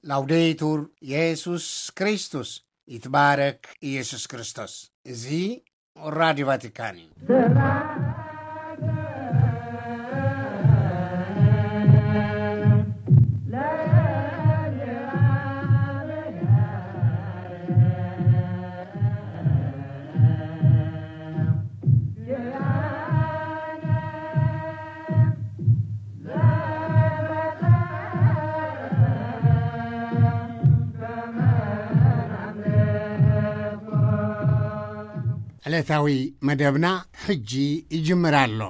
ላውዴቱር የሱስ ክርስቶስ፣ ይትባረክ ኢየሱስ ክርስቶስ። እዚ ራዲዮ ቫቲካን እዩ። ዕለታዊ መደብና ሕጂ ይጅምር ኣሎ።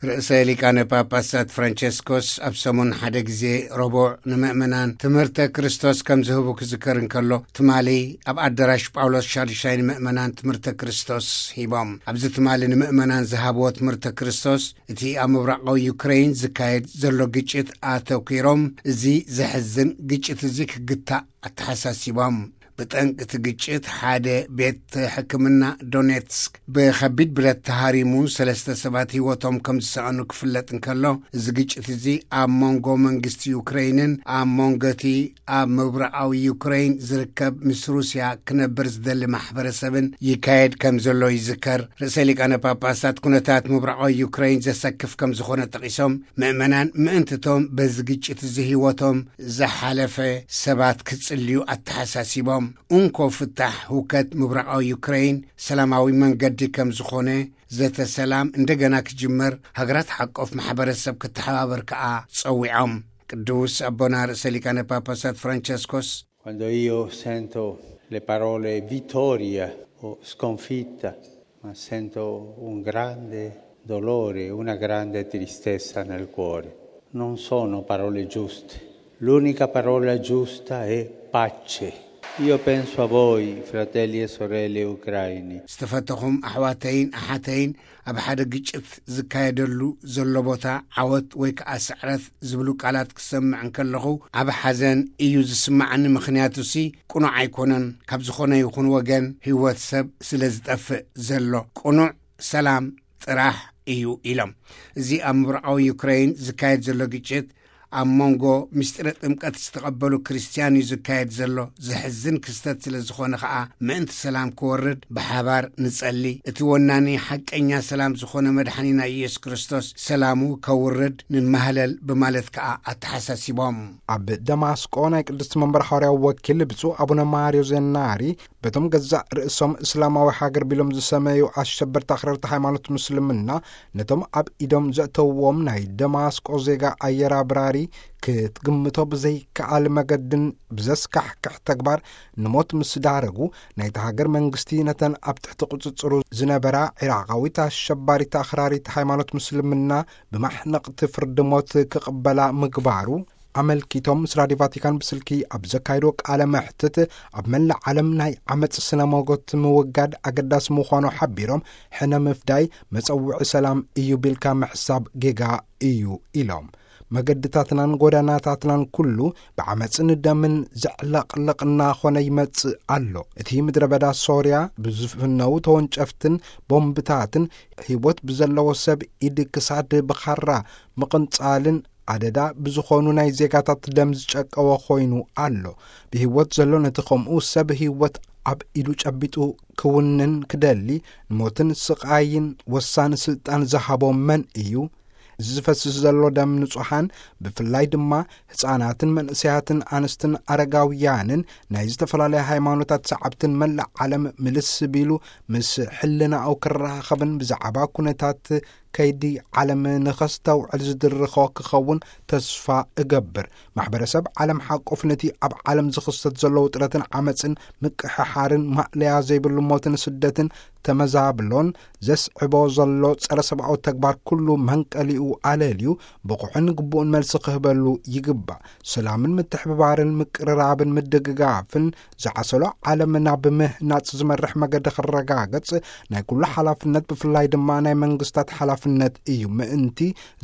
ርእሰ ሊቃነ ጳጳሳት ፍራንቸስኮስ ኣብ ሰሙን ሓደ ግዜ ረቡዕ ንምእመናን ትምህርተ ክርስቶስ ከም ዝህቡ ክዝከር እንከሎ፣ ትማሊ ኣብ ኣዳራሽ ጳውሎስ ሻድሻይ ንምእመናን ትምህርተ ክርስቶስ ሂቦም። ኣብዚ ትማሊ ንምእመናን ዝሃብዎ ትምህርተ ክርስቶስ፣ እቲ ኣብ ምብራቓዊ ዩክሬን ዝካየድ ዘሎ ግጭት ኣተኲሮም፣ እዚ ዘሕዝን ግጭት እዚ ክግታእ ኣተሓሳሲቦም። ብጠንቂ እቲ ግጭት ሓደ ቤት ሕክምና ዶኔትስክ ብኸቢድ ብረት ተሃሪሙ፣ ሰለስተ ሰባት ህይወቶም ከም ዝሰኣኑ ክፍለጥ እንከሎ፣ እዚ ግጭት እዚ ኣብ መንጎ መንግስቲ ዩክሬንን ኣብ መንጎ እቲ ኣብ ምብራቓዊ ዩክሬን ዝርከብ ምስ ሩስያ ክነብር ዝደሊ ማሕበረሰብን ይካየድ ከም ዘሎ ይዝከር። ርእሰ ሊቃነ ጳጳሳት ኩነታት ምብራቓዊ ዩክሬን ዘሰክፍ ከም ዝኾነ ጠቒሶም፣ ምእመናን ምእንትቶም በዚ ግጭት እዚ ህይወቶም ዝሓለፈ ሰባት ክጽልዩ ኣተሓሳሲቦም፣ እንኮ ፍታሕ ህውከት ምብራቓዊ ዩክሬን ሰላማዊ መንገዲ ከም ዝኾነ፣ ዘተ ሰላም እንደገና ክጅመር፣ ሃገራት ሓቆፍ ማሕበረሰብ ክተሓባበር ከኣ ጸዊዖም። ቅዱስ ኣቦና ርእሰ ሊቃነ ጳጳሳት ፍራንቸስኮስ፣ Quando io sento le parole vittoria o sconfitta, ma sento un grande dolore, una grande tristezza nel cuore. Non sono parole giuste. L'unica parola giusta è pace. Io penso a voi, fratelli e sorelle ucraini. ዝተፈተኹም ኣሕዋተይን ኣሓተይን፣ ኣብ ሓደ ግጭት ዝካየደሉ ዘሎ ቦታ ዓወት ወይ ከኣ ስዕረት ዝብሉ ቃላት ክሰምዕ እንከለኹ፣ ዓቢ ሓዘን እዩ ዝስማዓኒ። ምኽንያቱሲ ቅኑዕ ኣይኮነን። ካብ ዝኾነ ይኹን ወገን ህይወት ሰብ ስለ ዝጠፍእ ዘሎ፣ ቅኑዕ ሰላም ጥራሕ እዩ ኢሎም። እዚ ኣብ ምብራቓዊ ዩክሬን ዝካየድ ዘሎ ግጭት ኣብ መንጎ ምስጢረ ጥምቀት ዝተቐበሉ ክርስትያን እዩ ዝካየድ ዘሎ። ዘሕዝን ክስተት ስለ ዝኾነ ኸኣ፣ ምእንቲ ሰላም ክወርድ ብሓባር ንጸሊ። እቲ ወናኒ ሓቀኛ ሰላም ዝኾነ መድሓኒና ኢየሱስ ክርስቶስ ሰላሙ ከውርድ ንማህለል ብማለት ከኣ ኣተሓሳሲቦም። ኣብ ደማስቆ ናይ ቅድስቲ መንበር ሓዋርያዊ ወኪል ብፁዕ ኣቡነ ማርዮ ዜናሪ፣ በቶም ገዛእ ርእሶም እስላማዊ ሃገር ቢሎም ዝሰመዩ ኣሸበርቲ ኣኽረርቲ ሃይማኖት ምስልምና፣ ነቶም ኣብ ኢዶም ዘእተውዎም ናይ ደማስቆ ዜጋ ኣየር ኣብራሪ ክትግምቶ ብዘይከኣል መገድን ብዘስካሕክሕ ተግባር ንሞት ምስ ዳረጉ፣ ናይታ ሃገር መንግስቲ ነተን ኣብ ትሕቲ ቁጽጽሩ ዝነበራ ዒራቓዊት ኣሸባሪት ኣኽራሪት ሃይማኖት ምስልምና ብማሕነቕቲ ፍርዲ ሞት ክቕበላ ምግባሩ ኣመልኪቶም ምስ ራድዮ ቫቲካን ብስልኪ ኣብ ዘካየድዎ ቃለ መሕትት፣ ኣብ መላእ ዓለም ናይ ዓመጽ ስነ ሞጎት ምውጋድ ኣገዳሲ ምዃኑ ሓቢሮም፣ ሕነ ምፍዳይ መጸውዒ ሰላም እዩ ቢልካ ምሕሳብ ጌጋ እዩ ኢሎም። መገድታትናን ጎዳናታትናን ኩሉ ብዓመጽን ደምን ዘዕለቕልቕ እናኾነ ይመጽእ ኣሎ። እቲ ምድረ በዳ ሶርያ ብዝፍነው ተወንጨፍትን ቦምብታትን ህይወት ብዘለዎ ሰብ ኢድ ክሳድ ብኻራ ምቕንጻልን ኣደዳ ብዝኾኑ ናይ ዜጋታት ደም ዝጨቀወ ኮይኑ ኣሎ። ብህይወት ዘሎ ነቲ ከምኡ ሰብ ህይወት ኣብ ኢዱ ጨቢጡ ክውንን ክደሊ፣ ንሞትን ስቓይን ወሳኒ ስልጣን ዝሃቦ መን እዩ? እዚ ዝፈስስ ዘሎ ደም ንጹሓን፣ ብፍላይ ድማ ህጻናትን መንእሰያትን ኣንስትን ኣረጋውያንን ናይ ዝተፈላለያ ሃይማኖታት ሰዓብትን መላእ ዓለም ምልስ ቢሉ ምስ ሕልናኡ ክራኸብን ብዛዕባ ኩነታት ከይዲ ዓለም ንኸስተውዕል ዝድርኾ ክኸውን ተስፋ እገብር። ማሕበረሰብ ዓለም ሓቆፍ ነቲ ኣብ ዓለም ዝኽሰት ዘሎ ውጥረትን ዓመፅን ምቅሕሓርን ማእለያ ዘይብሉ ሞትን ስደትን ተመዛብሎን ዘስዕቦ ዘሎ ጸረ ሰብኣዊ ተግባር ኩሉ መንቀሊኡ ኣለልዩ ብቑሕን ግቡእን መልሲ ክህበሉ ይግባእ። ሰላምን ምትሕብባርን ምቅርራብን ምድግጋፍን ዝዓሰሎ ዓለም ናብ ምህናጽ ዝመርሕ መገዲ ክረጋገጽ ናይ ኩሉ ሓላፍነት፣ ብፍላይ ድማ ናይ መንግስታት ሓላፍነት እዩ። ምእንቲ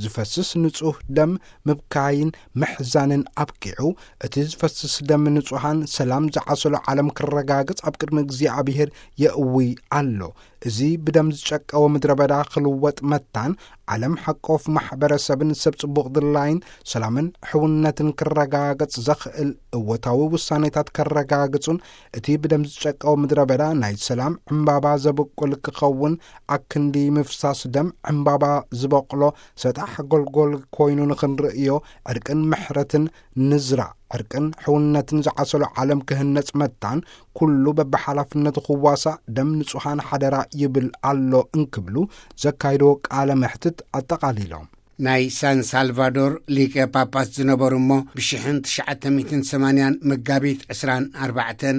ዝፈስስ ንጹህ ደም ምብካይን ምሕዛንን ኣብቂዑ፣ እቲ ዝፈስስ ደም ንጹሃን ሰላም ዝዓሰሎ ዓለም ክረጋገጽ ኣብ ቅድሚ እግዚኣብሔር የእዊ ኣሎ። እዚ ብደም ዝጨቀወ ምድረ በዳ ክልወጥ መታን፣ ዓለም ሓቆፍ ማሕበረሰብን ሰብ ጽቡቕ ድላይን ሰላምን ሕውነትን ክረጋገጽ ዘኽእል እወታዊ ውሳኔታት ከረጋግጹን፣ እቲ ብደም ዝጨቀወ ምድረ በዳ ናይ ሰላም ዕምባባ ዘብቁል ክኸውን፣ ኣክንዲ ምፍሳስ ደም ዕምባባ ዝበቕሎ ሰጣሕ ጎልጎል ኮይኑ ንኽንርእዮ፣ ዕርቅን ምሕረትን ንዝራእ፣ ዕርቅን ሕውነትን ዝዓሰሎ ዓለም ክህነጽ መታን፣ ኩሉ በብሓላፍነቱ ክዋሳእ ደም ንጹሃን ሓደራ ይብል ኣሎ እንክብሉ ዘካይድዎ ቃለ መሕትት ኣጠቓሊሎም። ናይ ሳን ሳልቫዶር ሊቀ ጳጳስ ዝነበሩ እሞ፣ ብ ትሽዓተ ሚእትን ሰማንያን መጋቢት ዕስራን ኣርባዕተን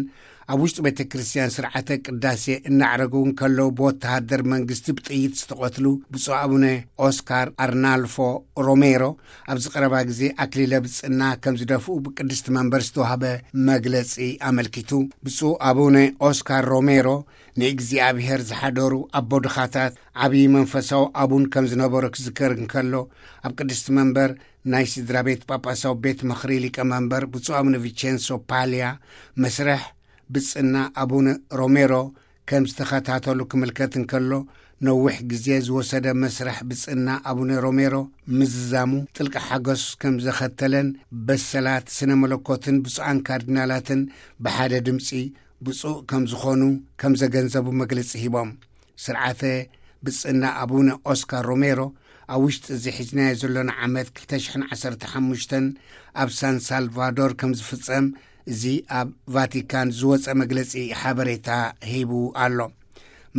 ኣብ ውሽጢ ቤተ ክርስቲያን ስርዓተ ቅዳሴ እናዕረጉ እንከለዉ፣ ብወተሃደር መንግስቲ ብጥይት ዝተቐትሉ ብፁዕ ኣቡነ ኦስካር ኣርናልፎ ሮሜሮ፣ ኣብዚ ቀረባ ግዜ ኣክሊለ ብጽና ከም ዝደፍኡ ብቅድስቲ መንበር ዝተዋህበ መግለጺ ኣመልኪቱ። ብፁዕ ኣቡነ ኦስካር ሮሜሮ፣ ንእግዚኣብሔር ዝሓደሩ ኣቦ ድኻታት፣ ዓብዪ መንፈሳዊ ኣቡን ከም ዝነበሩ ክዝከር እንከሎ፣ ኣብ ቅድስቲ መንበር ናይ ስድራ ቤት ጳጳሳዊ ቤት ምኽሪ ሊቀ መንበር ብፁዕ ኣቡነ ቪቸንሶ ፓልያ፣ መስርሕ ብጽና ኣቡነ ሮሜሮ ከም ዝተኸታተሉ ክምልከት እንከሎ፣ ነዊሕ ግዜ ዝወሰደ መስርሕ ብጽና ኣቡነ ሮሜሮ ምዝዛሙ ጥልቂ ሓጎስ ከም ዘኸተለን፣ በሰላት ስነ መለኮትን ብፁዓን ካርዲናላትን ብሓደ ድምጺ ብፁዕ ከም ዝኾኑ ከም ዘገንዘቡ መግለጺ ሂቦም። ስርዓተ ብጽና ኣቡነ ኦስካር ሮሜሮ ኣብ ውሽጢ እዚ ሒዝናዮ ዘሎና ዓመት ክልተ ሽሕን ዓሰርተ ሓሙሽተን ኣብ ሳን ሳልቫዶር ከም ዝፍጸም፣ እዚ ኣብ ቫቲካን ዝወጸ መግለጺ ሓበሬታ ሂቡ ኣሎ።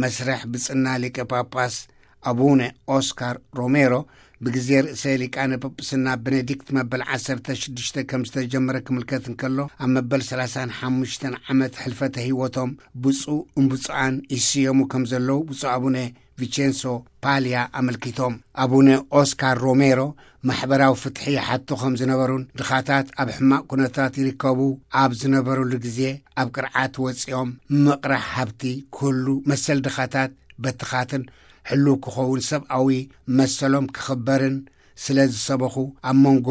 መስርሕ ብጽና ሊቀ ጳጳስ ኣቡነ ኦስካር ሮሜሮ፣ ብግዜ ርእሰ ሊቃነ ጳጳስና ቤኔዲክት መበል ዓሰርተ ሽዱሽተ ከም ዝተጀመረ ክምልከት እንከሎ፣ ኣብ መበል ሰላሳን ሓሙሽተን ዓመት ሕልፈተ ህይወቶም ብፁዕ እምብፁዓን ይስየሙ ከም ዘለዉ ብፁዕ ኣቡነ ቪቼንሶ ፓልያ ኣመልኪቶም። ኣቡነ ኦስካር ሮሜሮ ማሕበራዊ ፍትሒ ይሓቱ ከም ዝነበሩን፣ ድኻታት ኣብ ሕማቕ ኩነታት ይርከቡ ኣብ ዝነበሩሉ ግዜ፣ ኣብ ቅርዓት ወጺኦም ምቕራሕ ሃብቲ፣ ኩሉ መሰል ድኻታት በትኻትን ሕሉው ክኸውን፣ ሰብኣዊ መሰሎም ክኽበርን ስለ ዝሰበኹ፣ ኣብ መንጎ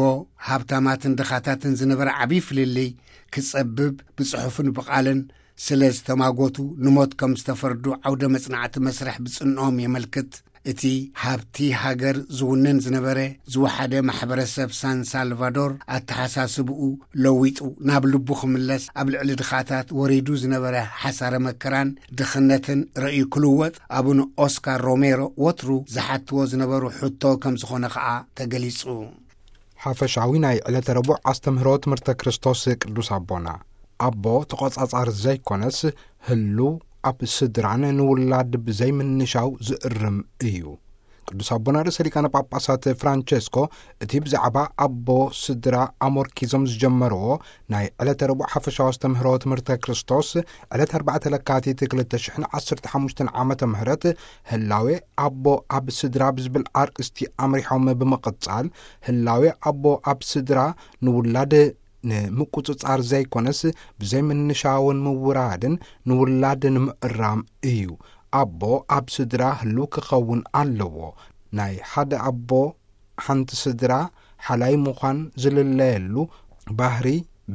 ሃብታማትን ድኻታትን ዝነበረ ዓብዪ ፍልልይ ክጸብብ ብጽሑፍን ብቓልን ስለ ዝተማጎቱ፣ ንሞት ከም ዝተፈርዱ ዓውደ መጽናዕቲ መስርሕ ብጽንኦም የመልክት። እቲ ሃብቲ ሃገር ዝውንን ዝነበረ ዝወሓደ ማሕበረሰብ ሳን ሳልቫዶር፣ ኣተሓሳስብኡ ለዊጡ ናብ ልቡ ክምለስ፣ ኣብ ልዕሊ ድኻታት ወሪዱ ዝነበረ ሓሳረ መከራን ድኽነትን ረእዩ ክልወጥ፣ ኣቡነ ኦስካር ሮሜሮ ወትሩ ዝሓትዎ ዝነበሩ ሕቶ ከም ዝኾነ ኸኣ ተገሊጹ። ሓፈሻዊ ናይ ዕለተ ረቡዕ ኣስተምህሮ ትምህርተ ክርስቶስ ቅዱስ ኣቦና፣ ኣቦ ተቖጻጻሪ ዘይኮነስ፣ ህሉው ኣብ ስድራን ንውላድ ብዘይምንሻው ዝእርም እዩ። ቅዱስ ኣቦና ርእሰ ሊቃነ ጳጳሳት ፍራንቸስኮ፣ እቲ ብዛዕባ ኣቦ ስድራ ኣሞርኪዞም ዝጀመርዎ ናይ ዕለተ ረቡዕ ሓፈሻዊ ኣስተምህሮ ትምህርተ ክርስቶስ፣ ዕለት ኣርባዕተ ለካቲት ክልተ ሽሕን ዓሰርተ ሓሙሽተን ዓመተ ምህረት፣ ህላዌ ኣቦ ኣብ ስድራ ብዝብል ኣርእስቲ ኣምሪሖም ብምቕጻል፣ ህላዌ ኣቦ ኣብ ስድራ ንውላድ ንምቁጽጻር ዘይኮነስ፣ ብዘይምንሻውን ምውራድን ንውላድ ንምእራም እዩ። ኣቦ ኣብ ስድራ ህሉው ክኸውን ኣለዎ። ናይ ሓደ ኣቦ ሓንቲ ስድራ ሓላይ ምዃን ዝልለየሉ ባህሪ፣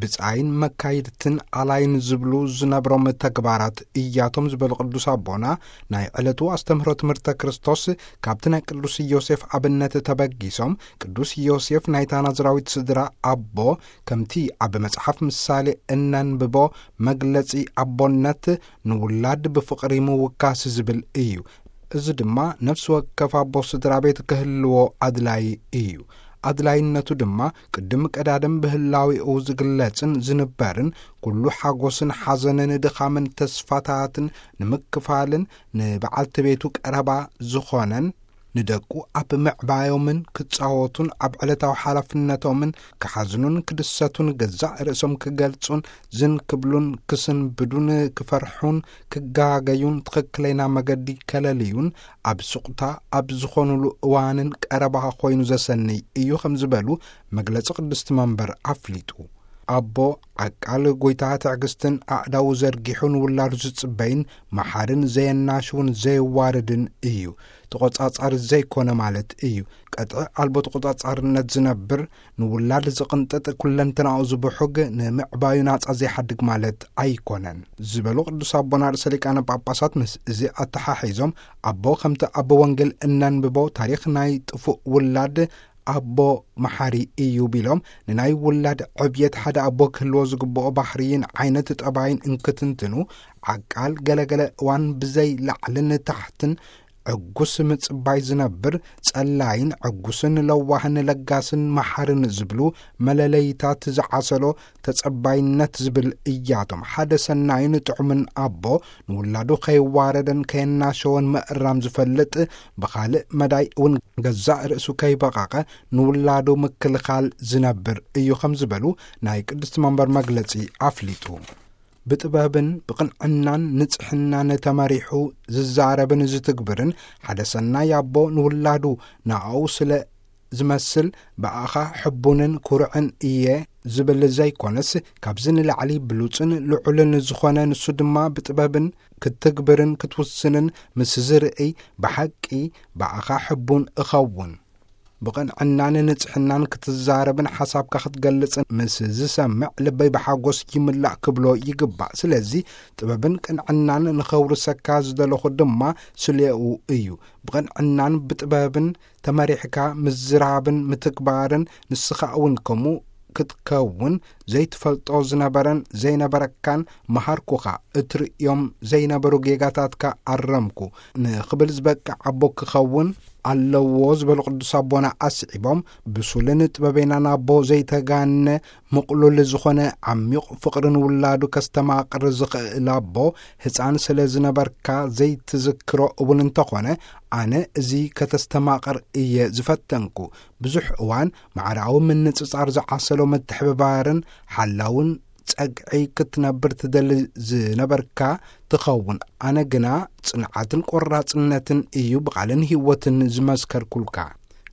ብጻይን መካይድትን ኣላይን ዝብሉ ዝነብሮም ተግባራት እያቶም ዝበሉ ቅዱስ ኣቦና፣ ናይ ዕለቱ ኣስተምህሮ ትምህርተ ክርስቶስ ካብቲ ናይ ቅዱስ ዮሴፍ ኣብነት ተበጊሶም፣ ቅዱስ ዮሴፍ ናይታ ናዝራዊት ስድራ ኣቦ፣ ከምቲ ኣብ መጽሓፍ ምሳሌ እነንብቦ፣ መግለጺ ኣቦነት ንውላድ ብፍቕሪ ምውካስ ዝብል እዩ። እዚ ድማ ነፍሲ ወከፍ ኣቦ ስድራ ቤት ክህልዎ ኣድላዪ እዩ። ኣድላይነቱ ድማ ቅድሚ ቀዳድም ብህላዌኡ ዝግለጽን ዝንበርን፣ ኩሉ ሓጎስን ሓዘንን ድኻምን ተስፋታትን ንምክፋልን፣ ንበዓልቲ ቤቱ ቀረባ ዝኾነን፣ ንደቁ ኣብ ምዕባዮምን ክጻወቱን ኣብ ዕለታዊ ሓላፍነቶምን ክሓዝኑን ክድሰቱን፣ ገዛእ ርእሶም ክገልጹን ዝን ክብሉን ክስንብዱን ክፈርሑን ክጋገዩን ትኽክለና መገዲ ከለልዩን ኣብ ሱቕታ ኣብ ዝኾኑሉ እዋንን ቀረባ ኮይኑ ዘሰንይ እዩ ከም ዝበሉ መግለጺ ቅድስቲ መንበር ኣፍሊጡ። ኣቦ ዓቃል ጎይታ ትዕግስትን ኣእዳዉ ዘርጊሑ ንውላዱ ዝጽበይን መሓርን ዘየናሽውን ዘየዋርድን እዩ። ተቖጻጻሪ ዘይኮነ ማለት እዩ። ቀጥዒ ኣልቦ ተቖጻጻርነት ዝነብር፣ ንውላድ ዝቕንጥጥ፣ ኩለንተናኡ ዝብሑግ፣ ንምዕባዩ ናጻ ዘይሓድግ ማለት ኣይኮነን ዝበሉ ቅዱስ ኣቦና ርእሰ ሊቃነ ጳጳሳት ምስ እዚ ኣተሓሒዞም ኣቦ ከምቲ ኣቦ ወንጌል እነንብቦ ታሪኽ ናይ ጥፉእ ውላድ ኣቦ መሓሪ እዩ ቢሎም፣ ንናይ ውላድ ዕብየት ሓደ ኣቦ ክህልዎ ዝግብኦ ባህርይን ዓይነት ጠባይን እንክትንትኑ፣ ዓቃል ገለገለ እዋን ብዘይ ላዕልን ታሕትን ዕጉስ ምጽባይ ዝነብር፣ ጸላይን ዕጉስን ለዋህን ለጋስን መሓርን ዝብሉ መለለይታት ዝዓሰሎ ተጸባይነት ዝብል እያቶም። ሓደ ሰናይን ጥዑምን ኣቦ ንውላዱ ከይዋረደን ከየናሸወን ምእራም ዝፈልጥ፣ ብኻልእ መዳይ እውን ገዛእ ርእሱ ከይበቐቐ ንውላዱ ምክልኻል ዝነብር እዩ ከም ዝበሉ ናይ ቅድስቲ መንበር መግለጺ ኣፍሊጡ። ብጥበብን ብቕንዕናን ንጽሕናን ተመሪሑ ዝዛረብን ዝትግብርን ሓደ ሰናይ ኣቦ ንውላዱ ንኣኡ ስለ ዝመስል ብኣኻ ሕቡንን ኩርዕን እየ ዝብል ዘይኮነስ፣ ካብዚ ንላዕሊ ብሉጽን ልዑልን ዝኾነ ንሱ ድማ ብጥበብን ክትግብርን ክትውስንን ምስ ዝርእይ ብሓቂ ብኣኻ ሕቡን እኸውን። ብቕንዕናን ንጽሕናን ክትዛረብን ሓሳብካ ክትገልጽን ምስ ዝሰምዕ ልበይ ብሓጎስ ይምላእ ክብሎ ይግባእ። ስለዚ ጥበብን ቅንዕናን ንኸውርሰካ ዝደለኹ ድማ ስሌኡ እዩ። ብቕንዕናን ብጥበብን ተመሪሕካ ምዝራብን ምትግባርን ንስኻ እውን ከምኡ ክትከውን ዘይትፈልጦ ዝነበረን ዘይነበረካን መሃርኩኻ። እትርእዮም ዘይነበሩ ጌጋታትካ ኣረምኩ ንኽብል ዝበቅዕ ኣቦ ክኸውን ኣለዎ ዝበሉ ቅዱስ ኣቦና ኣስዒቦም፣ ብሱልን ጥበበኛን ኣቦ ዘይተጋነ ምቕሉል ዝኾነ ዓሚቕ ፍቕሪ ንውላዱ ከስተማቕር ዝኽእል ኣቦ፣ ህፃን ስለ ዝነበርካ ዘይትዝክሮ እውን እንተኾነ፣ ኣነ እዚ ከተስተማቕር እየ ዝፈተንኩ። ብዙሕ እዋን ማዕራዊ ምንጽጻር ዝዓሰሎ ምትሕብባርን ሓላውን ጸግዒ ክትነብር ትደሊ ዝነበርካ ትኸውን። ኣነ ግና ጽንዓትን ቆራጽነትን እዩ ብቓልን ህይወትን ዝመስከርኩልካ።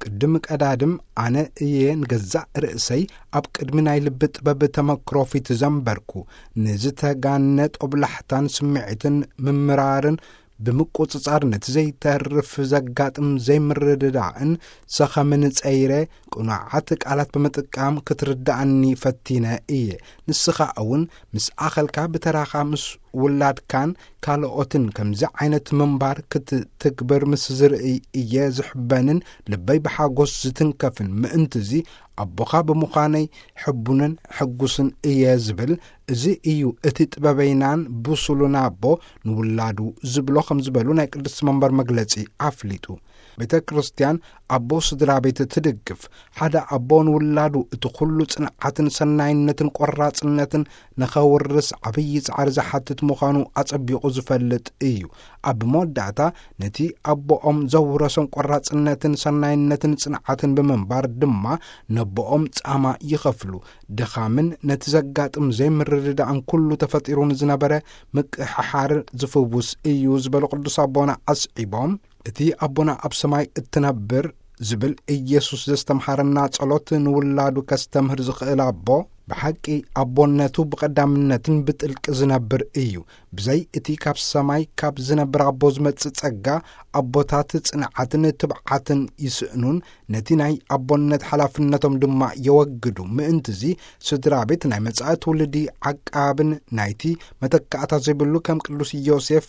ቅድም ቀዳድም ኣነ እየ ንገዛእ ርእሰይ ኣብ ቅድሚ ናይ ልቢ ጥበብ ተመክሮ ፊት ዘንበርኩ። ንዝተጋነ ጦብላሕታን ስምዒትን ምምራርን ብምቁጽጻር ነቲ ዘይተርፍ ዘጋጥም ዘይምርድዳእን ሰኸምን ጸይረ ቅኑዓት ቃላት ብምጥቃም ክትርድኣኒ ፈቲነ እየ። ንስኻ እውን ምስ ኣኸልካ ብተራኻ ምስ ውላድካን ካልኦትን ከምዚ ዓይነት ምንባር ክትትግብር ምስ ዝርእይ እየ ዝሕበንን ልበይ ብሓጎስ ዝትንከፍን። ምእንትዚ ኣቦኻ ብምዃነይ ሕቡንን ሕጉስን እየ ዝብል። እዚ እዩ እቲ ጥበበይናን ብሱሉን ኣቦ ንውላዱ ዝብሎ ከም ዝበሉ ናይ ቅድስቲ መንበር መግለጺ ኣፍሊጡ። ቤተ ክርስቲያን ኣቦ ስድራ ቤት ትድግፍ። ሓደ ኣቦ ንውላዱ እቲ ኩሉ ጽንዓትን ሰናይነትን ቆራጽነትን ንኸውርስ ዓብዪ ጻዕሪ ዝሓትት ምዃኑ ኣጸቢቑ ዝፈልጥ እዩ። ኣብ መወዳእታ ነቲ ኣቦኦም ዘውረሶም ቆራጽነትን ሰናይነትን ጽንዓትን ብምንባር ድማ ነቦኦም ጻማ ይኸፍሉ። ድኻምን ነቲ ዘጋጥም ዘይምርድዳእን ኩሉ ተፈጢሩ ንዝነበረ ምቅሕሓር ዝፍውስ እዩ ዝበሉ ቅዱስ ኣቦና ኣስዒቦም፣ እቲ ኣቦና ኣብ ሰማይ እትነብር ዝብል ኢየሱስ ዘስተምሃረና ጸሎት ንውላዱ ከስተምህር ዝኽእል ኣቦ፣ ብሓቂ ኣቦነቱ ብቐዳምነትን ብጥልቂ ዝነብር እዩ። ብዘይ እቲ ካብ ሰማይ ካብ ዝነብር ኣቦ ዝመጽእ ጸጋ፣ ኣቦታት ጽንዓትን ትብዓትን ይስእኑን፣ ነቲ ናይ ኣቦነት ሓላፍነቶም ድማ የወግዱ። ምእንትዚ ስድራ ቤት ናይ መጻኢ ትውልዲ ዓቃብን ናይቲ መተካእታ ዘይብሉ ከም ቅዱስ ዮሴፍ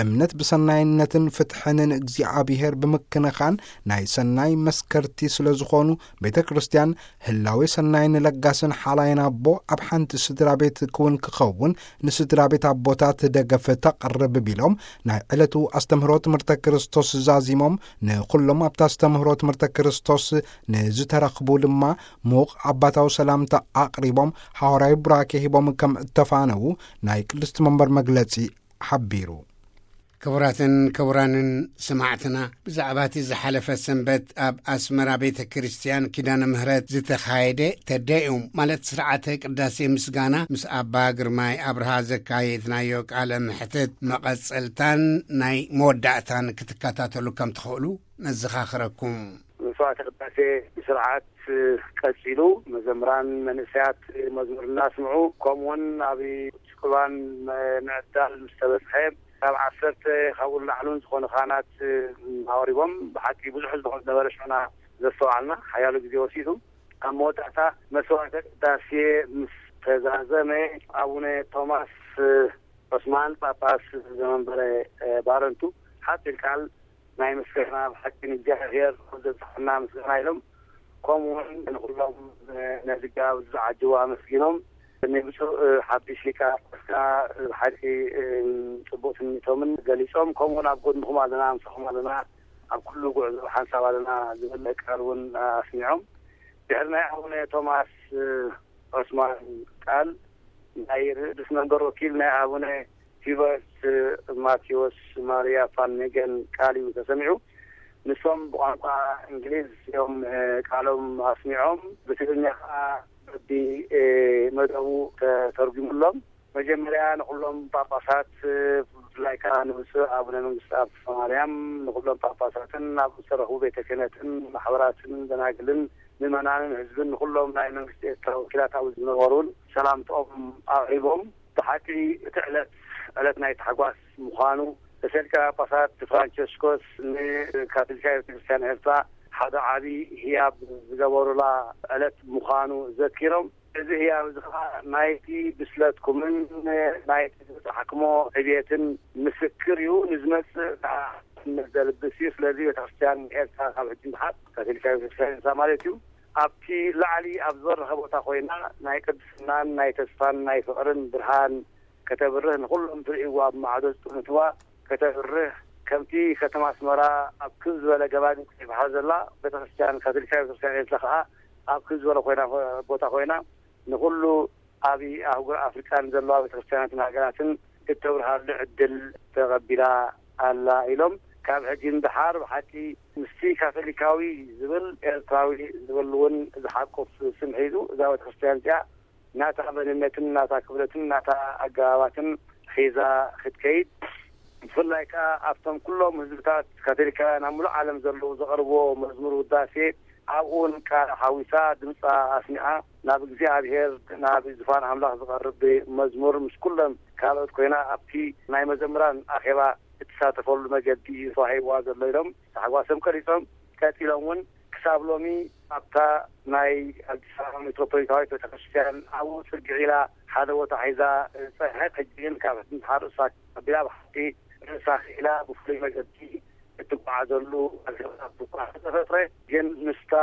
እምነት ብሰናይነትን ፍትሕን ንእግዚኣብሔር ብምክንኻን ናይ ሰናይ መስከርቲ ስለ ዝኾኑ፣ ቤተ ክርስቲያን ህላዌ ሰናይን ለጋስን ሓላይን ኣቦ ኣብ ሓንቲ ስድራ ቤት ክውን ክኸውን ንስድራ ቤት ኣቦታት ደገፍ ተቕርብ ቢሎም፣ ናይ ዕለቱ ኣስተምህሮ ትምህርተ ክርስቶስ ዛዚሞም፣ ንኹሎም ኣብቲ ኣስተምህሮ ትምህርተ ክርስቶስ ንዝተረኽቡ ድማ ምዉቕ ኣባታዊ ሰላምታ ኣቕሪቦም፣ ሓዋርያዊ ቡራኬ ሂቦም ከም እተፋነዉ ናይ ቅድስቲ መንበር መግለጺ ሓቢሩ። ክቡራትን ክቡራንን ሰማዕትና፣ ብዛዕባ እቲ ዝሓለፈ ሰንበት ኣብ ኣስመራ ቤተ ክርስቲያን ኪዳነ ምህረት ዝተኻየደ ተደዮም፣ ማለት ስርዓተ ቅዳሴ ምስጋና፣ ምስ ኣባ ግርማይ ኣብርሃ ዘካየድናዮ ቃለ ምሕትት መቐጸልታን ናይ መወዳእታን ክትከታተሉ ከም ትኽእሉ ነዘኻኽረኩም። መስዋዕተ ቅዳሴ ብስርዓት ቀጺሉ፣ መዘምራን መንእሰያት መዝሙር እናስምዑ፣ ከምኡውን ኣብ ቁርባን ምዕዳል ምስ ተበጽሐ፣ ካብ ዓሰርተ ካብኡ ንላዕሊ እውን ዝኾኑ ካህናት ኣቕሪቦም። ብሓቂ ብዙሕ ህዝቢ ከም ዝነበረ ሽዑና ዘስተውዓልና፣ ሓያሎ ግዜ ወሲዱ። ኣብ መወዳእታ መስዋዕተ ቅዳሴ ምስ ተዛዘመ፣ ኣቡነ ቶማስ ዑስማን ጳጳስ ዘመንበረ ባረንቱ ሓጺር ቃል ናይ ምስጋና፣ ብሓቂ ንእግዚኣብሔር ዘብጽሓና ምስጋና ኢሎም፣ ከምኡውን ንኹሎም ነዚ ጋብ ዝዓጅቡ ኣመስጊኖም፣ ንብፁዕ ሓድሽ ሊቀ ጳጳስ ከኣ ብሓቂ ጽቡቕ ትምኒቶምን ገሊጾም፣ ከምኡውን ኣብ ጎድንኹም ኣለና፣ ምሳኹም ኣለና፣ ኣብ ኩሉ ጉዕዞ ሓንሳብ ኣለና ዝብል ቃል እውን ኣስሚዖም። ድሕሪ ናይ ኣቡነ ቶማስ ዑስማን ቃል፣ ናይ ርእስ መንበር ወኪል ናይ ኣቡነ ሂበርት ማቴዎስ ማርያ ፋን ሜገን ቃል እዩ ተሰሚዑ። ንሶም ብቋንቋ እንግሊዝ እዮም ቃሎም ኣስሚዖም። ብትግርኛ ከዓ በቢ መደቡ ተተርጉሙሎም። መጀመርያ ንኩሎም ጳጳሳት፣ ብፍላይ ከዓ ንብፁዕ ኣቡነ መንግስተ ኣብ ማርያም፣ ንኩሎም ጳጳሳትን ኣብ ዝተረኽቡ ቤተ ክህነትን ማሕበራትን ደናግልን ምእመናንን ህዝብን፣ ንኩሎም ናይ መንግስቲ ኤርትራ ወኪላት ኣብ ዝነበሩን ሰላምትኦም ኣቕሪቦም። ብሓቂ እቲ ዕለት ዕለት ናይ ታሕጓስ ምዃኑ፣ ርእሰ ሊቃነ ጳጳሳት ፍራንቸስኮስ ንካቶሊካዊት ቤተክርስትያን ኤርትራ ሓደ ዓቢ ህያብ ዝገበሩላ ዕለት ምዃኑ ዘኪሮም፣ እዚ ህያብ እዚ ኸዓ ናይቲ ብስለትኩምን ናይቲ ዝበጻሕኩሞ ዕብየትን ምስክር እዩ። ንዝመጽእ ከኣ እምነት ዘልብስ እዩ። ስለዚ ቤተክርስትያን ኤርትራ ካብ ሕጂ ንደሓር፣ ካቶሊካዊት ቤተክርስትያን ኤርትራ ማለት እዩ፣ ኣብቲ ላዕሊ ኣብ ዝበረኸ ቦታ ኮይና ናይ ቅድስናን ናይ ተስፋን ናይ ፍቕርን ብርሃን ከተብርህ፣ ንኹሎም ዝርእይዋ ኣብ ማዕዶ ዝጥምትዋ ከተብርህ፣ ከምቲ ከተማ ኣስመራ ኣብ ክብ ዝበለ ገባን ከይበሃል ዘላ ቤተክርስትያን፣ ካቶሊካዊት ቤተክርስትያን ኤርትራ ከኣ ኣብ ክብ ዝበለ ኮይና፣ ቦታ ኮይና ንኹሉ ኣብ ኣህጉር ኣፍሪቃን ዘለዋ ቤተክርስትያናትን ሃገራትን እተብርሃሉ ዕድል ተቐቢላ ኣላ ኢሎም። ካብ ሕጂ ንደሓር ብሓቂ ምስቲ ካቶሊካዊ ዝብል ኤርትራዊ ዝብል እውን ዝሓቁፍ ስም ሒዙ እዛ ቤተክርስትያን እዚኣ ናታ መንነትን ናታ ክብረትን ናታ ኣገባባትን ሒዛ ክትከይድ፣ ብፍላይ ከኣ ኣብቶም ኩሎም ህዝብታት ካቶሊካውያን ኣብ ሙሉእ ዓለም ዘለዉ ዘቕርብዎ መዝሙር ውዳሴ ኣብኡ እውን ቃል ሓዊሳ ድምፃ ኣስሚዓ ናብ እግዚኣብሔር ናብ ዝፋን ኣምላኽ ዝቐርብ መዝሙር ምስ ኩሎም ካልኦት ኮይና ኣብቲ ናይ መዘምራን ኣኼባ እትሳተፈሉ መገዲ እዩ ተዋሂብዋ ዘሎ ኢሎም ታሕጓሶም ቀሊፆም። ቀፂሎም እውን ክሳብ ሎሚ ኣብታ ናይ ኣዲስ ኣበባ ሜትሮፖሊታዊት ቤተክርስትያን ኣብኡ ፅግዕ ኢላ ሓደ ቦታ ሒዛ ፀንሐት። ሕጂ ግን ካብ ሕድንትሓ ርእሳ ኣቢላ ብሓቂ ርእሳ ክኢላ ብፍሉይ መገዲ እትጓዓዘሉ ኣገባብ እኳ ተፈጥረ፣ ግን ምስታ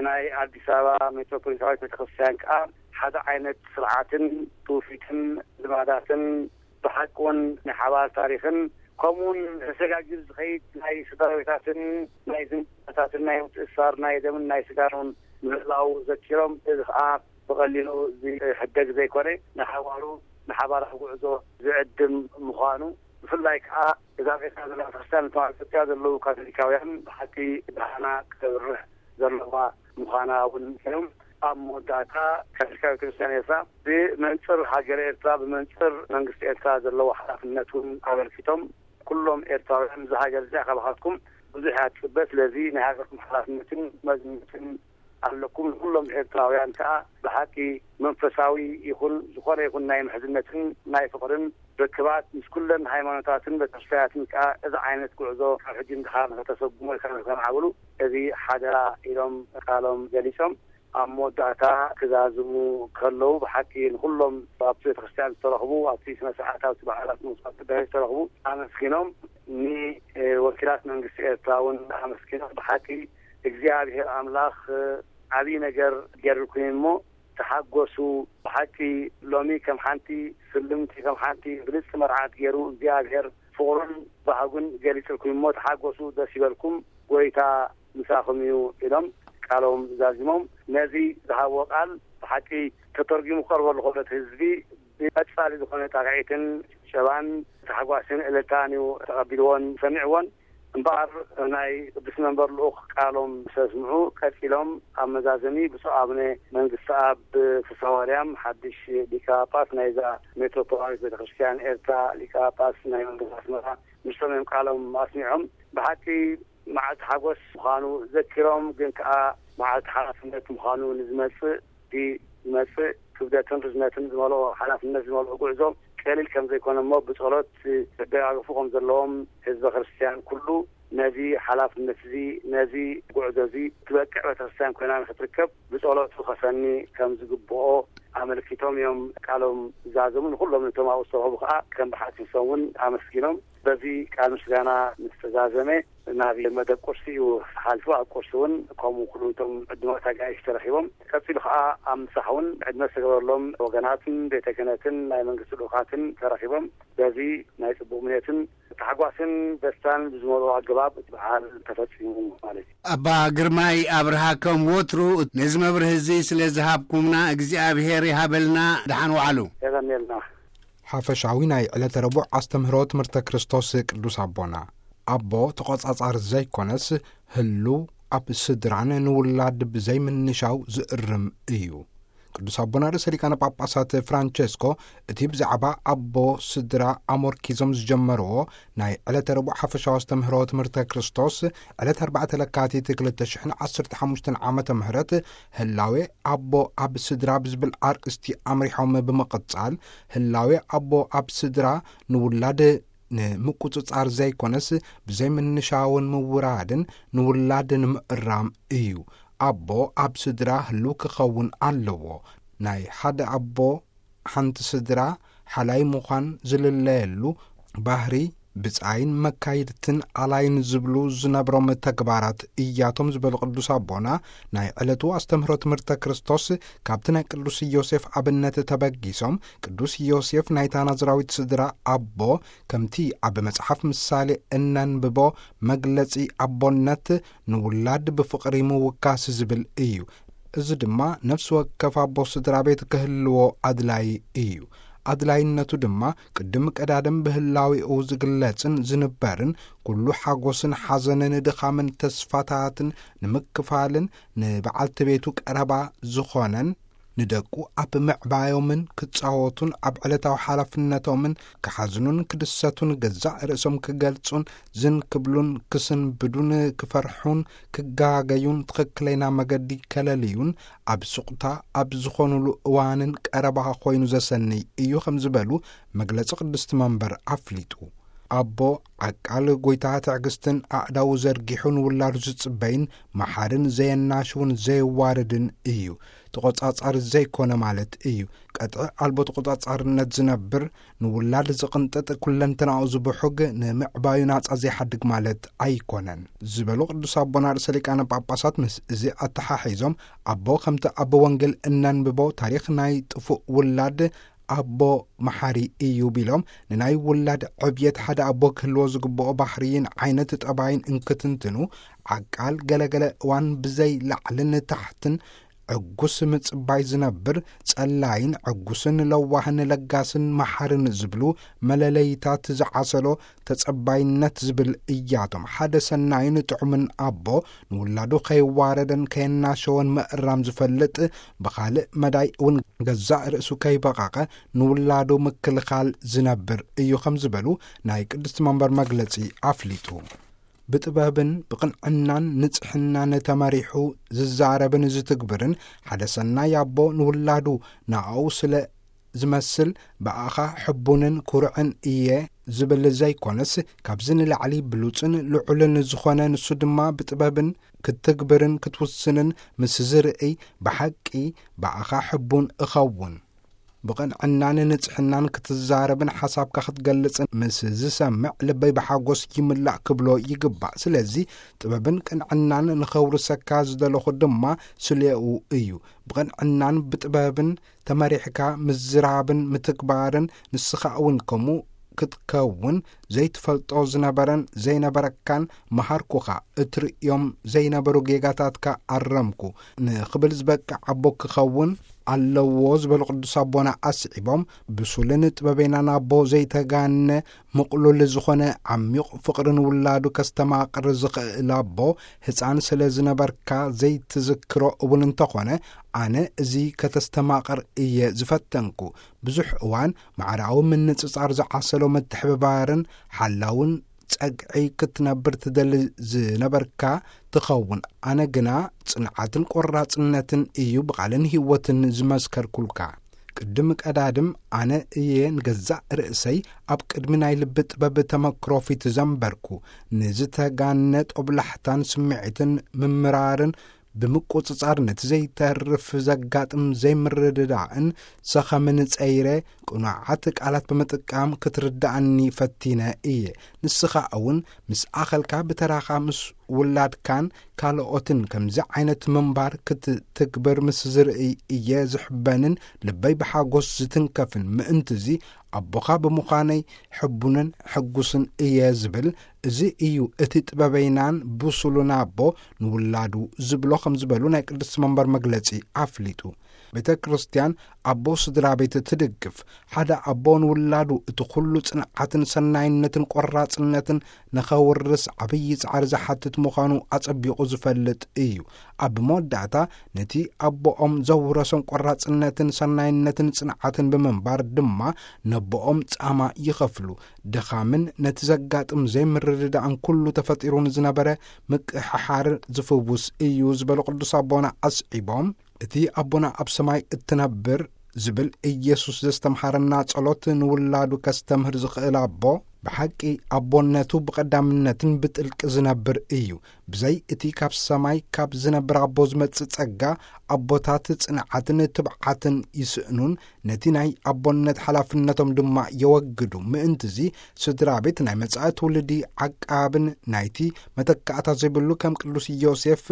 ናይ ኣዲስ ኣበባ ሜትሮፖሊታዊት ቤተክርስትያን ከዓ ሓደ ዓይነት ስርዓትን ትውፊትን ልማዳትን ብሓቂ እውን ናይ ሓባር ታሪኽን ከምኡውን ተሰጋጊሩ ዝኸይድ ናይ ስድራቤታትን ናይ ዝምድናታትን ናይ ምትእስሳር ናይ ደምን ናይ ስጋን እውን ምህላው ዘኪሮም፣ እዚ ከዓ ብቐሊሉ ዝሕደግ ዘይኮነ ንሓዋሩ ንሓባራዊ ጉዕዞ ዝዕድም ምዃኑ፣ ብፍላይ ከዓ እዛ ቤትና ዘላ ቤተክርስትያን እቶም ኣብ ኢትዮጵያ ዘለዉ ካቶሊካውያን ብሓቂ ብርሃና ክተብርህ ዘለዋ ምዃና እውን እዮም። ኣብ መወዳእታ ካቶሊካዊ ክርስትያን ኤርትራ ብመንፅር ሃገር ኤርትራ ብመንፅር መንግስቲ ኤርትራ ዘለዎ ሓላፍነት እውን ኣበርኪቶም፣ ኩሎም ኤርትራውያን እዛ ሃገር እዚኣ ካባኻትኩም ብዙሕ እያ ትፅበ። ስለዚ ናይ ሃገርኩም ሓላፍነትን መዝነትን ኣለኩም። ንኩሎም ኤርትራውያን ከዓ ብሓቂ መንፈሳዊ ይኹን ዝኾነ ይኹን ናይ ምሕዝነትን ናይ ፍቕርን ርክባት ምስ ኩለን ሃይማኖታትን ቤተክርስትያናትን ከዓ እዚ ዓይነት ጉዕዞ ካብ ሕጂ ንድሓር ንከተሰጉሞ ኢልካ ንከማዕብሉ እዚ ሓደራ ኢሎም ቃሎም ገሊጾም። ኣብ መወዳእታ ክዛዝሙ ከለዉ ብሓቂ ንኩሎም ኣብቲ ቤተክርስትያን ዝተረኽቡ ኣብቲ ስነ ስርዓት ኣብቲ በዓላት ምውሳድ ቅዳሴ ዝተረኽቡ ኣመስጊኖም፣ ንወኪላት መንግስቲ ኤርትራ እውን ኣመስጊኖም። ብሓቂ እግዚኣብሔር ኣምላኽ ዓብዪ ነገር ገይሩልኩም እሞ ተሓጎሱ። ብሓቂ ሎሚ ከም ሓንቲ ስልምቲ ከም ሓንቲ ብልጽቲ መርዓት ገይሩ እግዚኣብሔር ፍቕሩን ባህጉን ገሊጽልኩም እሞ ተሓጎሱ፣ ደስ ይበልኩም፣ ጎይታ ምሳኹም እዩ ኢሎም ቃሎም ዛዚሞም። ነዚ ዝሃብዎ ቃል ብሓቂ ተተርጒሙ ክቐርበሉ ከሎ እቲ ህዝቢ ብቐጻሊ ዝኾነ ጣቕዒትን ጭብጨባን ታሕጓስን እልልታን እዩ ተቐቢልዎን ሰሚዕዎን። እምበኣር ናይ ቅዱስ መንበር ልኡኽ ቃሎም ምስ ኣስምዑ ቀጺሎም ኣብ መዛዘሚ ብፁዕ ኣቡነ መንግስተኣብ ፍስሃ ማርያም ሓድሽ ሊቀ ጳጳስ ናይዛ ሜትሮፖላዊት ቤተክርስትያን ኤርትራ ሊቀ ጳጳስ ናይ መንግስቲ ኣስመራ ምስቶም እዮም ቃሎም ኣስሚዖም። ብሓቂ መዓልቲ ሓጎስ ምዃኑ ዘኪሮም፣ ግን ከኣ መዓልቲ ሓላፍነት ምዃኑ ንዝመጽእ፣ እዚ ዝመጽእ ክብደትን ርዝነትን ዝመልኦ ሓላፍነት ዝመልኦ ጉዕዞ ቀሊል ከም ዘይኮነ እሞ ብጸሎት ክደጋግፉ ከም ዘለዎም ህዝበ ክርስትያን ኩሉ ነዚ ሓላፍነት እዚ፣ ነዚ ጉዕዞ እዚ ትበቅዕ ቤተክርስትያን ኮይና ንክትርከብ ብጸሎቱ ከሰኒ ከም ዝግብኦ ኣመልኪቶም እዮም ቃሎም ዝዛዘሙ። ንኩሎም ነቶም ኣብኡ ዝተረኸቡ ከዓ ከም ብሓጺሶም እውን ኣመስጊኖም። በዚ ቃል ምስጋና ምስ ተዛዘመ ናብ መደብ ቁርሲ እዩ ተሓልፉ። ኣብ ቁርሲ እውን ከምኡ ኩሉ እቶም ዕዱማት ኣጋይሽ ተረኺቦም። ቀጺሉ ከዓ ኣብ ምሳሕ እውን ዕድመ ዝተገበረሎም ወገናትን ቤተ ክህነትን ናይ መንግስቲ ልኡኻትን ተረኺቦም በዚ ናይ ጽቡቕ ምንዮትን ታሕጓስን ደስታን ብዝመልኦ ኣገባብ እቲ በዓል ተፈጺሙ ማለት እዩ። ኣባ ግርማይ ኣብርሃ ከም ወትሩ ነዚ መብርሂ እዚ ስለ ዝሃብኩምና እግዚኣብሔር ይሃበልና። ደሓን ዋዕሉ። የቐንየልና። ሓፈሻዊ ናይ ዕለተ ረቡዕ ኣስተምህሮ ትምህርተ ክርስቶስ ቅዱስ ኣቦና፣ ኣቦ ተቖጻጻሪ ዘይኮነስ ህሉው ኣብ ስድራን ንውላድ ብዘይምንሻው ዝእርም እዩ። ቅዱስ ኣቦና ርእሰ ሊቃነ ጳጳሳት ፍራንቸስኮ እቲ ብዛዕባ ኣቦ ስድራ ኣሞርኪዞም ዝጀመርዎ ናይ ዕለተ ረቡዕ ሓፈሻዊ ኣስተምህሮ ትምህርተ ክርስቶስ ዕለት ኣርባዕተ ለካቲት ክልተ ሽሕን ዓሰርተ ሓሙሽተን ዓመተ ምህረት ህላዌ ኣቦ ኣብ ስድራ ብዝብል ኣርእስቲ ኣምሪሖም ብምቕጻል፣ ህላዌ ኣቦ ኣብ ስድራ ንውላድ ንምቁጽጻር ዘይኮነስ ብዘይምንሻውን ምውራድን ንውላድ ንምእራም እዩ። ኣቦ ኣብ ስድራ ህልው ክኸውን ኣለዎ። ናይ ሓደ ኣቦ ሓንቲ ስድራ ሓላይ ምዃን ዝልለየሉ ባህሪ ብጻይን መካይድትን ኣላይን ዝብሉ ዝነብሮም ተግባራት እያቶም ዝበሉ ቅዱስ ኣቦና፣ ናይ ዕለቱ ኣስተምህሮ ትምህርተ ክርስቶስ ካብቲ ናይ ቅዱስ ዮሴፍ ኣብነት ተበጊሶም፣ ቅዱስ ዮሴፍ ናይታ ናዝራዊት ስድራ ኣቦ ከምቲ ኣብ መጽሓፍ ምሳሌ እነንብቦ መግለጺ ኣቦነት ንውላድ ብፍቕሪ ምውካስ ዝብል እዩ። እዚ ድማ ነፍሲ ወከፍ ኣቦ ስድራ ቤት ክህልዎ ኣድላይ እዩ። ኣድላይነቱ ድማ ቅድም ቀዳድም ብህላዌኡ ዝግለጽን ዝንበርን፣ ኩሉ ሓጎስን ሓዘንን ድኻምን ተስፋታትን ንምክፋልን ንበዓልቲ ቤቱ ቀረባ ዝኾነን፣ ንደቁ ኣብ ምዕባዮምን ክጻወቱን ኣብ ዕለታዊ ሓላፍነቶምን ክሓዝኑን ክድሰቱን ገዛእ ርእሶም ክገልጹን ዝን ክብሉን ክስንብዱን ክፈርሑን ክጋገዩን ትኽክለይና መገዲ ከለልዩን ኣብ ሱቕታ ኣብ ዝኾኑሉ እዋንን ቀረባ ኮይኑ ዘሰንይ እዩ ከም ዝበሉ መግለጺ ቅድስቲ መንበር ኣፍሊጡ። ኣቦ ዓቃል ጎይታ ትዕግስትን ኣእዳዉ ዘርጊሑ ንውላዱ ዝጽበይን መሓርን ዘየናሽውን ዘየዋርድን እዩ። ተቖጻጻሪ ዘይኮነ ማለት እዩ። ቀጥዒ ኣልቦ ተቖጻጻርነት ዝነብር፣ ንውላድ ዝቕንጥጥ፣ ኩለንተናኡ ዝብሑግ፣ ንምዕባዩ ናጻ ዘይሓድግ ማለት ኣይኮነን ዝበሉ ቅዱስ ኣቦና ርእሰ ሊቃነ ጳጳሳት፣ ምስ እዚ ኣተሓሒዞም ኣቦ ከምቲ ኣብ ወንጌል እነንብቦ ታሪኽ ናይ ጥፉእ ውላድ ኣቦ መሓሪ እዩ ቢሎም፣ ንናይ ውላድ ዕብየት ሓደ ኣቦ ክህልዎ ዝግብኦ ባህርይን ዓይነት ጠባይን እንክትንትኑ፣ ዓቃል ገለገለ እዋን ብዘይ ላዕልን ታሕትን ዕጉስ ምጽባይ ዝነብር፣ ጸላይን ዕጉስን ለዋህን ለጋስን መሓርን ዝብሉ መለለይታት ዝዓሰሎ ተጸባይነት ዝብል እያቶም። ሓደ ሰናይን ጥዑምን ኣቦ ንውላዱ ከይዋረደን ከየናሸወን ምእራም ዝፈልጥ፣ ብኻልእ መዳይ እውን ገዛእ ርእሱ ከይበቐቐ ንውላዱ ምክልኻል ዝነብር እዩ ከም ዝበሉ ናይ ቅድስቲ መንበር መግለጺ ኣፍሊጡ። ብጥበብን ብቕንዕናን ንጽሕናን ተመሪሑ ዝዛረብን ዝትግብርን ሓደ ሰናይ ኣቦ ንውላዱ ንኣኡ ስለ ዝመስል ብኣኻ ሕቡንን ኩርዕን እየ ዝብል ዘይኮነስ፣ ካብዚ ንላዕሊ ብሉጽን ልዑልን ዝኾነ ንሱ ድማ ብጥበብን ክትግብርን ክትውስንን ምስ ዝርእይ ብሓቂ ብኣኻ ሕቡን እኸውን። ብቕንዕናን ንጽሕናን ክትዛረብን ሓሳብካ ክትገልጽን ምስ ዝሰምዕ ልበይ ብሓጎስ ይምላእ ክብሎ ይግባእ። ስለዚ ጥበብን ቅንዕናን ንኸውርሰካ ዝደለኹ ድማ ስሌኡ እዩ። ብቕንዕናን ብጥበብን ተመሪሕካ ምዝራብን ምትግባርን ንስኻ እውን ከምኡ ክትከውን ዘይትፈልጦ ዝነበረን ዘይነበረካን መሃርኩኻ፣ እትርእዮም ዘይነበሩ ጌጋታትካ ኣረምኩ ንኽብል ዝበቅዕ ኣቦ ክኸውን ኣለዎ ዝበሉ ቅዱስ ኣቦና ኣስዒቦም፣ ብሱልን ጥበበኛን ኣቦ ዘይተጋነ ምቕሉል ዝኾነ ዓሚቕ ፍቕሪ ንውላዱ ከስተማቕር ዝኽእል ኣቦ፣ ህፃን ስለ ዝነበርካ ዘይትዝክሮ እውን እንተኾነ፣ ኣነ እዚ ከተስተማቕር እየ ዝፈተንኩ። ብዙሕ እዋን ማዕራዊ ምንጽጻር ዝዓሰሎ ምትሕብባርን ሓላውን ጸግዒ ክትነብር ትደሊ ዝነበርካ ትኸውን። ኣነ ግና ጽንዓትን ቆራጽነትን እዩ ብቓልን ህይወትን ዝመስከርኩልካ። ቅድም ቀዳድም ኣነ እየ ንገዛእ ርእሰይ ኣብ ቅድሚ ናይ ልቢ ጥበብ ተመክሮ ፊት ዘንበርኩ። ንዝተጋነ ጦብላሕታን ስምዒትን ምምራርን ብምቁጽጻር ነቲ ዘይተርፍ ዘጋጥም ዘይምርድዳእን ሰኸምን ጸይረ ቅኑዓት ቃላት ብምጥቃም ክትርድኣኒ ፈቲነ እየ። ንስኻ እውን ምስ ኣኸልካ ብተራኻ ምስ ውላድካን ካልኦትን ከምዚ ዓይነት ምንባር ክትትግብር ምስ ዝርእይ እየ ዝሕበንን ልበይ ብሓጎስ ዝትንከፍን። ምእንትዚ ኣቦኻ ብምዃነይ ሕቡንን ሕጉስን እየ ዝብል። እዚ እዩ እቲ ጥበበይናን ብሱሉን ኣቦ ንውላዱ ዝብሎ ከም ዝበሉ ናይ ቅድስቲ መንበር መግለጺ ኣፍሊጡ። ቤተ ክርስቲያን ኣቦ ስድራ ቤት ትድግፍ። ሓደ ኣቦ ንውላዱ እቲ ኩሉ ጽንዓትን ሰናይነትን ቆራጽነትን ንኸውርስ ዓብዪ ጻዕሪ ዝሓትት ምዃኑ ኣጸቢቑ ዝፈልጥ እዩ። ኣብ መወዳእታ ነቲ ኣቦኦም ዘውረሶም ቆራጽነትን ሰናይነትን ጽንዓትን ብምንባር ድማ ነቦኦም ጻማ ይኸፍሉ። ድኻምን ነቲ ዘጋጥም ዘይምርድዳእን ኩሉ ተፈጢሩ ንዝነበረ ምቅሕሓር ዝፍውስ እዩ ዝበሉ ቅዱስ ኣቦና ኣስዒቦም፣ እቲ ኣቦና ኣብ ሰማይ እትነብር ዝብል ኢየሱስ ዘስተምሃረና ጸሎት ንውላዱ ከስተምህር ዝኽእል ኣቦ፣ ብሓቂ ኣቦነቱ ብቐዳምነትን ብጥልቂ ዝነብር እዩ። ብዘይ እቲ ካብ ሰማይ ካብ ዝነብር ኣቦ ዝመጽእ ጸጋ፣ ኣቦታት ጽንዓትን ትብዓትን ይስእኑን፣ ነቲ ናይ ኣቦነት ሓላፍነቶም ድማ የወግዱ። ምእንትዚ ስድራ ቤት ናይ መጻኢ ትውልዲ ዓቃብን ናይቲ መተካእታ ዘይብሉ ከም ቅዱስ ዮሴፍ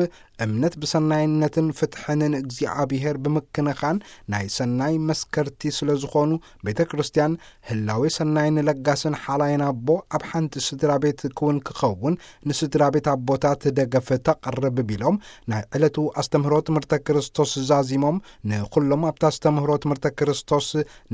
እምነት ብሰናይነትን ፍትሕን ንእግዚኣብሔር ብምክንኻን ናይ ሰናይ መስከርቲ ስለ ዝኾኑ፣ ቤተ ክርስቲያን ህላዌ ሰናይን ለጋስን ሓላይን ኣቦ ኣብ ሓንቲ ስድራ ቤት ክውን ክኸውን ንስድራ ቤት ኣቦታት ደገፍ ተቕርብ ቢሎም፣ ናይ ዕለቱ ኣስተምህሮ ትምህርተ ክርስቶስ ዛዚሞም፣ ንኹሎም ኣብቲ ኣስተምህሮ ትምህርተ ክርስቶስ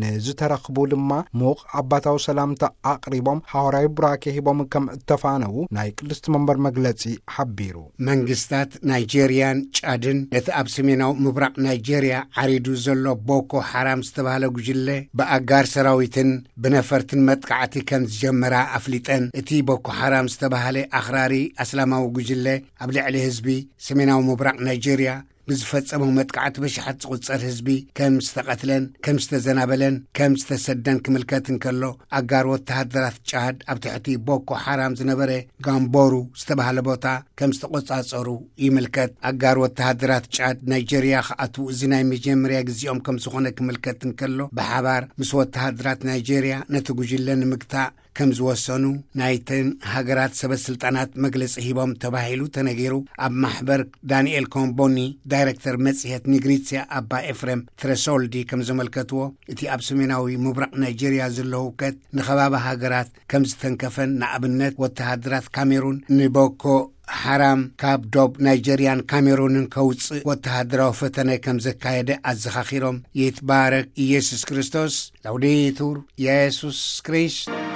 ንዝተረኽቡ ድማ ምዉቕ ኣባታዊ ሰላምታ ኣቕሪቦም፣ ሓዋርያዊ ቡራኬ ሂቦም ከም እተፋነዉ ናይ ቅድስቲ መንበር መግለጺ ሓቢሩ። መንግስታት ናይጄርያን ጫድን ነቲ ኣብ ሰሜናዊ ምብራቕ ናይጄርያ ዓሪዱ ዘሎ ቦኮ ሓራም ዝተባህለ ጉጅለ ብኣጋር ሰራዊትን ብነፈርትን መጥቃዕቲ ከም ዝጀመራ ኣፍሊጠን። እቲ ቦኮ ሓራም ዝተባህለ ኣኽራሪ ኣስላማዊ ጉጅለ ኣብ ልዕሊ ህዝቢ ሰሜናዊ ምብራቕ ናይጄርያ ብዝፈጸሞ መጥቃዕቲ ብሽሓት ዝቑጸር ህዝቢ ከም ዝተቐትለን ከም ዝተዘናበለን ከም ዝተሰደን ክምልከት እንከሎ፣ ኣጋር ወተሃደራት ጫድ ኣብ ትሕቲ ቦኮ ሓራም ዝነበረ ጋምቦሩ ዝተባህለ ቦታ ከም ዝተቖጻጸሩ ይምልከት። ኣጋር ወተሃደራት ጫድ ናይጄርያ ክኣትዉ እዚ ናይ መጀመርያ ግዜኦም ከም ዝኾነ ክምልከት እንከሎ፣ ብሓባር ምስ ወተሃደራት ናይጄርያ ነቲ ጉጅለ ንምግታእ ከም ዝወሰኑ ናይተን ሃገራት ሰበ ስልጣናት መግለጺ ሂቦም ተባሂሉ ተነጊሩ። ኣብ ማሕበር ዳንኤል ኮምቦኒ ዳይሬክተር መጽሔት ኒግሪትስያ ኣባ ኤፍሬም ትረሶልዲ ከም ዘመልከትዎ፣ እቲ ኣብ ሰሜናዊ ምብራቕ ናይጄርያ ዘሎ ህውከት ንኸባቢ ሃገራት ከም ዝተንከፈን፣ ንኣብነት ወተሃደራት ካሜሩን ንቦኮ ሓራም ካብ ዶብ ናይጄርያን ካሜሩንን ከውጽእ ወተሃደራዊ ፈተነ ከም ዘካየደ ኣዘኻኺሮም፣ ይትባረክ ኢየሱስ ክርስቶስ፣ ላውዴቱር ኢየሱስ ክርስቶስ።